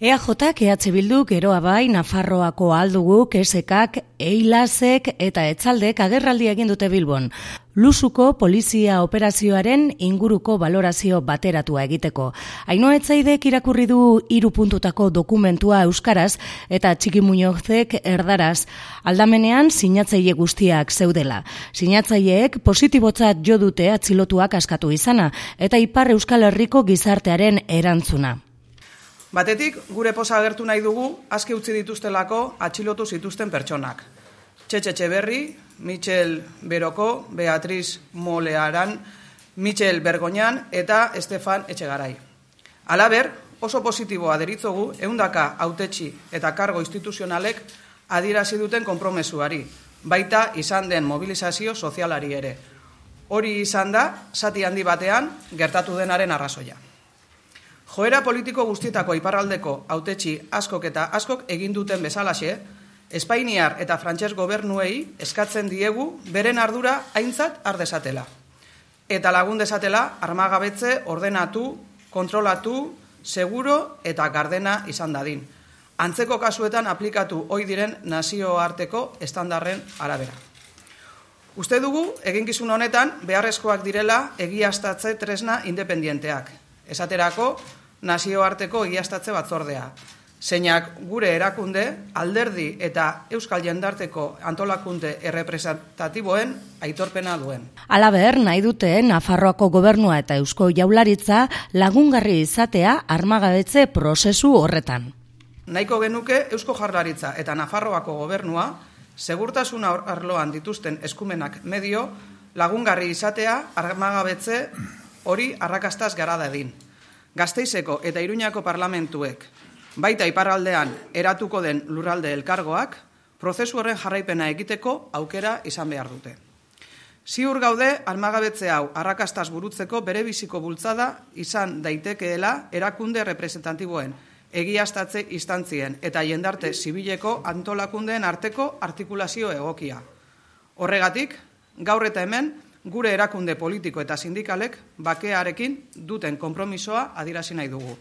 EAJak, EH Bilduk, Geroa Bai, Nafarroako Alduguk, ESEKak, Eilasek eta Etzaldek agerraldia egin dute Bilbon. Lusuko polizia operazioaren inguruko balorazio bateratua egiteko. Ainhoa Etzaidek irakurri du 3 puntutako dokumentua euskaraz eta Txiki Muñozek erdaraz. Aldamenean sinatzaile guztiak zeudela. Sinatzaileek positibotzat jo dute atxilotuak askatu izana eta Ipar Euskal Herriko gizartearen erantzuna. Batetik, gure poza agertu nahi dugu aske utzi dituztelako atxilotu zituzten pertsonak. Txetxe Etxeberri, Michel Beroko, Beatriz Molearan, Michel Bergoñan eta Estefan Etxegarai. Halaber, oso positiboa deritzogu 100 hautetsi eta kargo instituzionalek adierazi duten konpromesuari, baita izan den mobilizazio sozialari ere. Hori izan da, zati handi batean gertatu denaren arrazoia. Joera politiko guztietako iparraldeko hautetsi askok eta askok egin duten bezalaxe, Espainiar eta Frantses gobernuei eskatzen diegu beren ardura aintzat har dezatela. Eta lagun dezatela armagabetze ordenatu, kontrolatu, seguro eta gardena izan dadin. Antzeko kasuetan aplikatu ohi diren nazioarteko estandarren arabera. Uste dugu, eginkizun honetan, beharrezkoak direla egiaztatze tresna independienteak. Esaterako, nazioarteko egiaztatze batzordea. Zeinak gure erakunde, alderdi eta Euskal Jendarteko antolakunde errepresentatiboen aitorpena duen. Halaber, nahi dute Nafarroako gobernua eta Eusko Jaurlaritza lagungarri izatea armagabetze prozesu horretan. Nahiko genuke Eusko Jaurlaritza eta Nafarroako gobernua segurtasun arloan dituzten eskumenak medio lagungarri izatea armagabetze hori arrakastaz gara dadin. Gasteizeko eta Iruñako parlamentuek, baita iparraldean eratuko den lurralde elkargoak, prozesu horren jarraipena egiteko aukera izan behar dute. Ziur gaude, armagabetze hau arrakastaz burutzeko bere biziko bultzada izan daitekeela erakunde representatiboen, egiaztatze instantzien eta jendarte zibileko antolakundeen arteko artikulazio egokia. Horregatik, gaur eta hemen, gure erakunde politiko eta sindikalek bakearekin duten konpromisoa adierazi nahi dugu.